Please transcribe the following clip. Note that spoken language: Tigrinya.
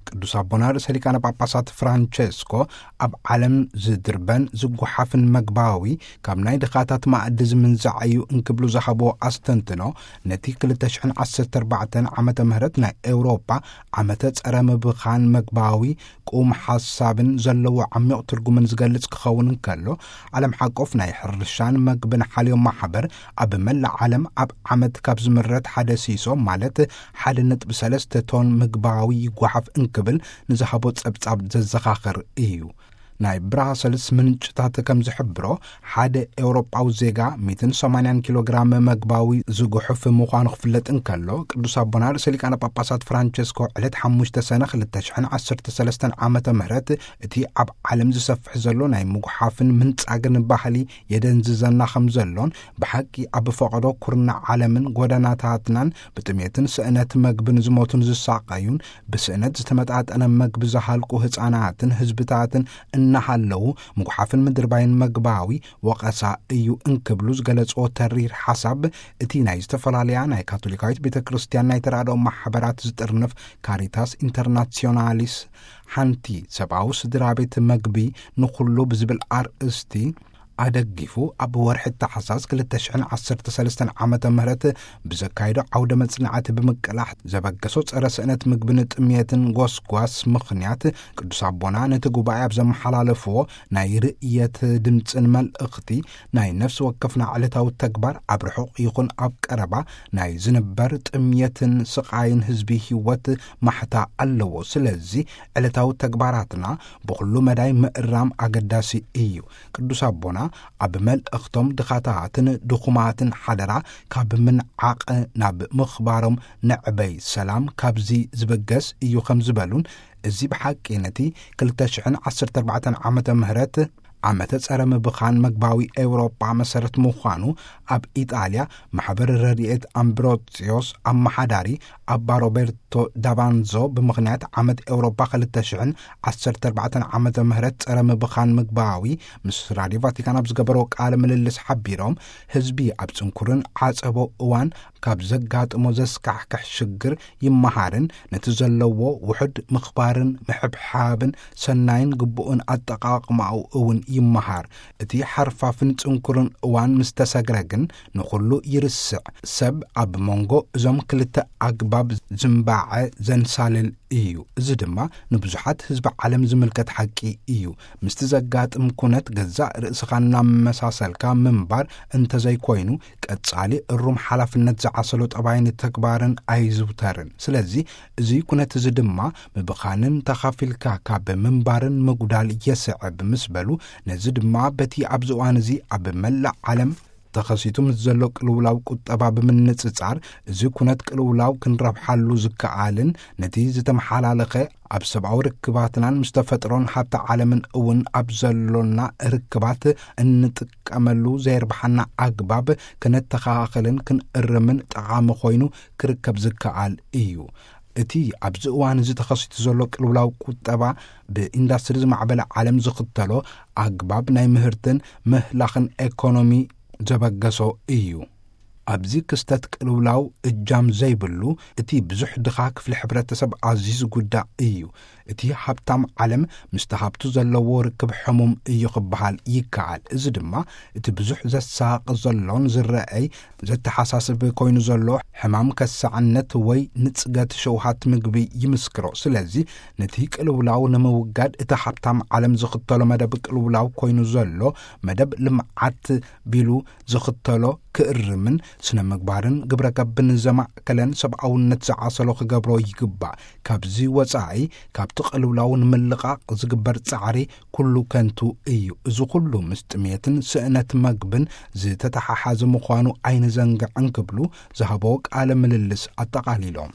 ቅዱስ ኣቦና ርእሰ ሊቃነ ጳጳሳት ፍራንቸስኮ፣ ኣብ ዓለም ዝድርበን ዝጓሓፍን መግባዊ ካብ ናይ ድኻታት ማእዲ ዝምንዛዕ እዩ እንክብሉ ዝሃብዎ ኣስተንትኖ፣ ነቲ ክልተ ሽሕን ዓሰርተ ኣርባዕተን ዓመተ ምህረት ናይ ኤውሮጳ ዓመተ ጸረ ምብኻን መግባዊ ቁም ሓሳብን ዘለዎ ዓሚቕ ትርጉምን ዝገልጽ ክኸውን እንከሎ፣ ዓለም ሓቆፍ ናይ ሕርሻን መግብን ሓልዮ ማሕበር ኣብ መላእ ዓለም ኣብ ዓመት ካብ ዝምረት ሓደ ሲሶ፣ ማለት ሓደ ነጥቢ ሰለስተ ቶን ምግባዊ ይጓሓፍ እንክብል ንዝሃቦ ጸብጻብ ዘዘኻኽር እዩ። ናይ ብራሰልስ ምንጭታት ከም ዝሕብሮ፣ ሓደ ኤውሮጳዊ ዜጋ ሚእትን ሰማንያን ኪሎ ግራም መግባዊ ዝጉሕፍ ምዃኑ ክፍለጥ እንከሎ፣ ቅዱስ ኣቦና ርእሰ ሊቃነ ጳጳሳት ፍራንቸስኮ ዕለት ሓሙሽተ ሰነ ክልተ ሽሕን ዓሰርተ ሰለስተን ዓመተ ምህረት እቲ ኣብ ዓለም ዝሰፍሕ ዘሎ ናይ ምጉሓፍን ምንጻግን ባህሊ የደንዝዘና ከም ዘሎን፣ ብሓቂ ኣብ ፈቐዶ ኩርናዕ ዓለምን ጎደናታትናን ብጥሜትን ስእነት መግብን ዝሞቱን ዝሳቐዩን፣ ብስእነት ዝተመጣጠነ መግቢ ዝሃልቁ ህጻናትን ህዝብታትን እናሃለዉ፣ ምጉሓፍን ምድርባይን መግባዊ ወቐሳ እዩ እንክብሉ ዝገለጽዎ ተሪር ሓሳብ፣ እቲ ናይ ዝተፈላለያ ናይ ካቶሊካዊት ቤተ ክርስቲያን ናይ ተራድኦ ማሕበራት ዝጥርንፍ ካሪታስ ኢንተርናሲዮናሊስ፣ ሓንቲ ሰብኣዊ ስድራ ቤት መግቢ ንኹሉ ብዝብል ኣርእስቲ ኣደጊፉ፣ ኣብ ወርሒ ታሕሳስ ክልተ ሽሕን ዓሰርተ ሰለስተን ዓመተ ምህረት ብዘካየዶ ዓውደ መጽናዕቲ ብምቅላሕ ዘበገሶ ጸረ ስእነት ምግብን ጥሜትን ጎስጓስ ምኽንያት፣ ቅዱስ ኣቦና ነቲ ጉባኤ ኣብ ዘመሓላለፍዎ ናይ ርእየት ድምጽን መልእኽቲ፣ ናይ ነፍሲ ወከፍና ዕለታዊ ተግባር ኣብ ርሑቕ ይኹን ኣብ ቀረባ ናይ ዝንበር ጥምየትን ስቓይን ህዝቢ ህይወት ማሕታ ኣለዎ። ስለዚ ዕለታዊ ተግባራትና ብኹሉ መዳይ ምእራም ኣገዳሲ እዩ። ቅዱስ ኣቦና ኣብ መልእኽቶም ድኻታትን ድኹማትን ሓደራ ካብ ምንዓቕ ናብ ምኽባሮም ንዕበይ፣ ሰላም ካብዚ ዝበገስ እዩ ከም ዝበሉን፣ እዚ ብሓቂ ነቲ ክልተ ሽሕን ዓሰርተ ኣርባዕተን ዓመተ ምህረት ዓመተ ጸረ ምብኻን መግባዊ ኤውሮጳ መሰረት ምዃኑ ኣብ ኢጣልያ ማሕበር ረድኤት ኣምብሮጽዮስ ኣመሓዳሪ ኣባ ሮቤርቶ ዳቫንዞ ብምኽንያት ዓመት ኤውሮጳ ክልተ ሽሕን ዓሰርተ ኣርባዕተን ዓመተ ምህረት ጸረ ምብኻን ምግባዊ ምስ ራድዮ ቫቲካን ኣብ ዝገበርዎ ቃለ ምልልስ ሓቢሮም፣ ህዝቢ ኣብ ጽንኩርን ዓጸቦ እዋን ካብ ዘጋጥሞ ዘስካሕክሕ ሽግር ይመሃርን ነቲ ዘለዎ ውሑድ ምኽባርን ምሕብሓብን ሰናይን ግቡእን ኣጠቓቕማኡ እውን ይመሃር። እቲ ሓርፋፍን ጽንኩርን እዋን ምስ ተሰግረ ግን ንኹሉ ይርስዕ። ሰብ ኣብ መንጎ እዞም ክልተ ኣግባብ ዝምባዐ ዘንሳልል እዩ። እዚ ድማ ንብዙሓት ህዝቢ ዓለም ዝምልከት ሓቂ እዩ። ምስቲ ዘጋጥም ኩነት ገዛእ ርእስኻ እናመሳሰልካ ምንባር እንተዘይኮይኑ፣ ቀጻሊ እሩም ሓላፍነት ዝዓሰሎ ጠባይን ተግባርን ኣይዝውተርን። ስለዚ እዚ ኩነት እዚ ድማ ምብኻንን ተኻፊልካ ካብ ምንባርን ምጉዳል የስዕብ ምስ በሉ፣ ነዚ ድማ በቲ ኣብዚ እዋን እዚ ኣብ መላእ ዓለም ተኸሲቱ ምስ ዘሎ ቅልውላው ቁጠባ ብምንጽጻር፣ እዚ ኩነት ቅልውላው ክንረብሓሉ ዝከኣልን ነቲ ዝተመሓላለኸ ኣብ ሰብኣዊ ርክባትናን ምስ ተፈጥሮን ሃብቲ ዓለምን እውን ኣብ ዘሎና ርክባት እንጥቀመሉ ዘየርብሓና ኣግባብ ክነተኻኽልን ክንእርምን ጠቓሚ ኮይኑ ክርከብ ዝከኣል እዩ። እቲ ኣብዚ እዋን እዚ ተኸሲቱ ዘሎ ቅልውላው ቁጠባ ብኢንዳስትሪ ዝማዕበለ ዓለም ዝኽተሎ ኣግባብ ናይ ምህርትን ምህላኽን ኤኮኖሚ ዘበገሶ እዩ። ኣብዚ ክስተት ቅልውላው እጃም ዘይብሉ፣ እቲ ብዙሕ ድኻ ክፍሊ ሕብረተሰብ ኣዝዩ ዝጉዳእ እዩ። እቲ ሃብታም ዓለም ምስቲ ሃብቱ ዘለዎ ርክብ ሕሙም እዩ ክበሃል ይከኣል። እዚ ድማ እቲ ብዙሕ ዘሳቕ ዘሎን ዝረኣይ ዘተሓሳስብ ኮይኑ ዘሎ ሕማም ከሳዕነት ወይ ንጽገት ሸውሃት ምግቢ ይምስክሮ። ስለዚ ነቲ ቅልውላው ንምውጋድ እቲ ሃብታም ዓለም ዝኽተሎ መደብ ቅልውላው ኮይኑ ዘሎ መደብ ልምዓት ቢሉ ዝኽተሎ ክእርምን ስነ ምግባርን ግብረ ገብን ዘማእከለን ሰብኣውነት ዝዓሰሎ ክገብሮ ይግባእ። ካብዚ ወጻኢ ካብቲ ቅልውላው ንምልቓቕ ዝግበር ጻዕሪ ኩሉ ከንቱ እዩ። እዚ ኩሉ ምስ ጥሜትን ስእነት መግብን ዝተተሓሓዘ ምዃኑ ኣይንዘንግዕን ክብሉ ዝሃቦ ቃለ ምልልስ ኣጠቓሊሎም።